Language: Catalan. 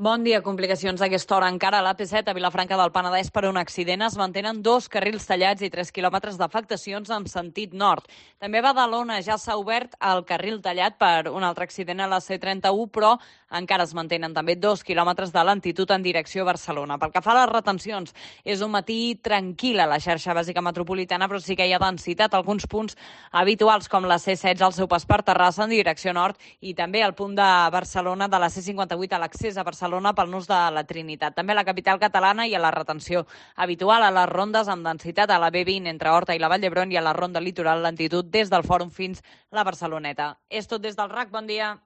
Bon dia. Complicacions a aquesta hora encara a l'AP7 a Vilafranca del Penedès per un accident. Es mantenen 2 carrils tallats i 3 quilòmetres d'afectacions en sentit nord. També a Badalona ja s'ha obert el carril tallat per un altre accident a la C31, però encara es mantenen també 2 quilòmetres de lentitud en direcció a Barcelona. Pel que fa a les retencions, és un matí tranquil a la xarxa bàsica metropolitana, però sí que hi ha densitat a alguns punts habituals, com la C16 al seu pas per Terrassa en direcció nord i també al punt de Barcelona de la C58 a l'accés a Barcelona pel nus de la Trinitat. També a la capital catalana hi ha la retenció habitual a les rondes amb densitat a la B20 entre Horta i la Vall d'Hebron i a la ronda litoral lentitud des del Fòrum fins la Barceloneta. És tot des del RAC. Bon dia.